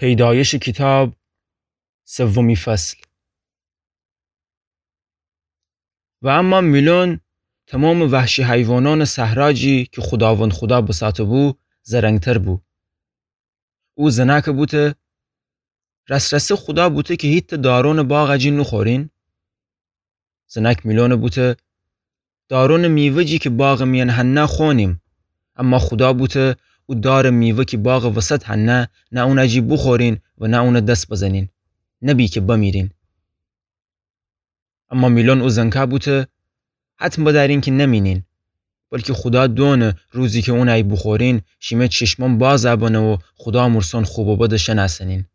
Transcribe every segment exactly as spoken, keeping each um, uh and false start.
پیدایش کیتاب، سومی فصل. و اما میلون تومامٚ وحشی حیوانأنٚ صحرا جی کی خوداوند خودا بساته‌بو، زرنگتر بو. او زنأکَ بوته: راس‌راسی خودا بوته کی هیتأ دارونٚ باغ جی نوخورین؟ زنأک میلونَ بوته: دارونٚ میوه جی کی باغٚ میأن هنه خونیم. اما خودا بوته: او دارٚ میوه کی باغٚ وسط هنه، نه اونٚ جی بوخورین و نه اونَ دس بزنین، نبی کی بمیرین. اما میلون او زنکَ بوته: حتم بدأرین کی نمینین، بلکی خودا دؤنه روزی کی اونَ بوخورین، شیمه چشمأن بازَ بنه و خودا مورسأن خوب و بدَ شنأسنین.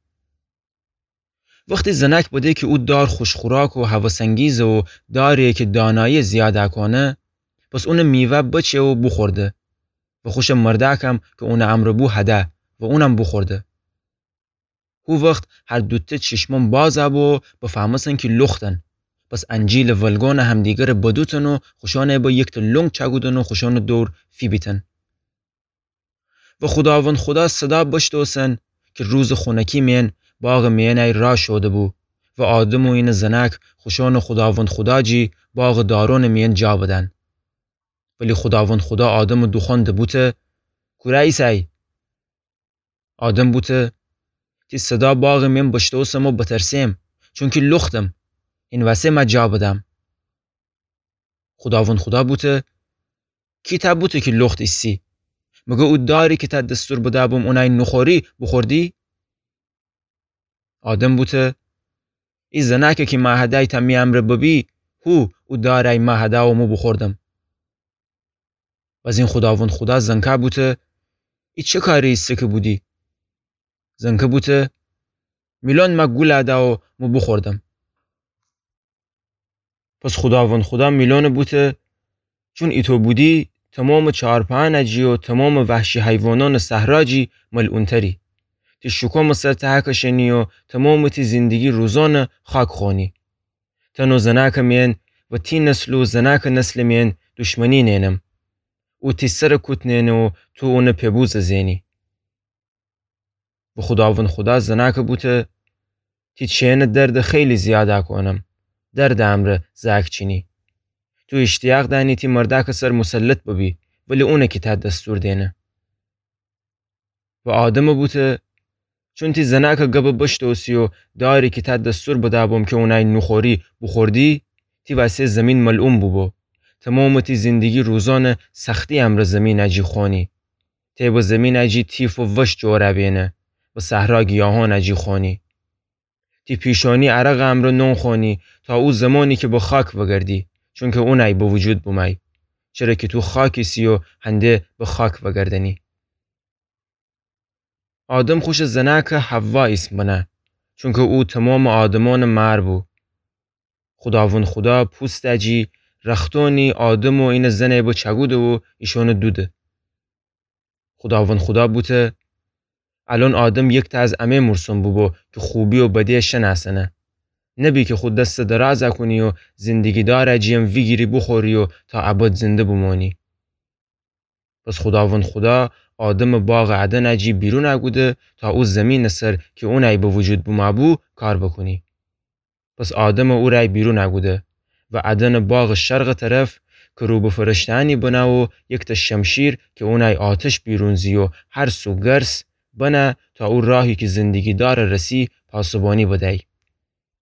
وختی زنأک بده کی او دار خوش‌خوراک و هوس‌انگیزه و داری‌یه کی دانایی زیادَ کونه، پس اونٚ میوه بچه و بوخورده و خوشٚ مردأکم کی اونٚ امرأ بو هده و اونم بوخورده. هو وخت هر دوتأ چشمأن بازَ بو و بفهمستن کی لختن. پس انجیلٚ ولگونَ همدیگرَ بدوتن و خوشأنَ به یکتأ لنگ چأکودن و خوشأنٚ دور فیبیتن. و خوداوند خودا صدا بشتوسن کی روزٚ خونکی مئن باغٚ مئنی را شوده‌بو و آدم و اینٚ زنأک خوشأنٚ خوداوند خودا جی باغٚ دارونٚ مئن جا بدن. ولی خوداوند خودا آدمَ دوخوأنده بوته: کورا ایسأی؟ آدم بوته: تی صدا باغٚ مئن بشتوسم و بترسیم، چونکی لختم، این وسه مه جا بدم. خوداوند خودا بوته: کی تأ بوته کی لخت ایسی؟ مگر او داری کی تأ دستور بدأ بوم اونی نوخوری، بوخوردی؟ آدم بوته: ای زنأکه کی مه هدأی تا می امرأ ببی، هو او داری مه هدأ و مو بوخوردم. بزین خوداوند خودا زنکَ بوته: ای چه کاری ایسه کی بودی؟ زنکَ بوته: میلون مه گول دأ و مو بوخوردم. پس خوداوند خودا میلونَ بوته: چون ایتو بودی، تومامٚ چارپأنٚ جی و تومامٚ وحشی حیوانأنٚ صحرا جی ملعون‌تری. تی شوکومٚ سر تهکشنی و تومامٚ تی زندگی روزأنَ خاک خونی. تن و زنأکٚ مئن و تی نسل و زنأکٚ نسلٚ مئن دشمنی نئنم. او تی سرَ کوت نئنه و تو اونٚ پئ بوزَ زئنی. و خوداوند خودا زنأکَ بوته: تی چئنٚ دردَ خیلی زیادَ کونم، دردٚ امرأ زأک چینی. تو ایشتیاق دأنی تی مردأکٚ سر مسلط ببی، ولی اونَ کی تأ دستور دئنه. و آدمَ بوته: چون تی زنأکٚ گبَ بشتوسی و داری کی تأ دستور بدأ بوم کی اونی نوخوری، بوخوردی، تی وسه زمین ملعون بوبو. تومامٚ تی زندگی روزأنَ سختی امرأ زمینٚ جی خونی. تی به زمینٚ جی تیف و وش جورَ بئنه و صحرا گیاهأنٚ جی خونی. تی پیشأنی عرقٚ امرأ نون خونی تا او زمانی کی به خاک وگردی، چونکی اونی به وجود بومأی. چره کی تو خاک ایسی و هنده به خاک وگردنی. آدم خوشٚ زنأکَ حوا ایسم بنه، چونکی او تومامٚ آدمأنٚ مأر بو. خوداوند خودا پوستٚ جی رختأنی آدم و اینٚ زنَ به چأکوده و ایشأنَ دوده. خوداوند خودا بوته: الأن آدم یکتأ از امه مورسأن بوبو کی خوبی و بدی شنأسنه. نبی کی خو دستَ درازَ کونی و زندگی دارٚ جی‌یم ویگیری بوخوری و تا ابد زنده بومأنی. پس خوداوند خودا آدمَ باغٚ عدنٚ جی بیرونَ کوده تا او زمینٚ سر کی اونی به وجود بومأ بو کار بوکونی. پس آدمَ اورأی بیرونَ کوده و عدنٚ باغٚ شرقٚ طرف کروبٚ فرشته‌أنی بنه و یکتأ شمشیر کی اونی آتش بیرون زی و هر سو گرس بنه تا او راهی کی زندگی دارَ رسی پاسبانی بدأی.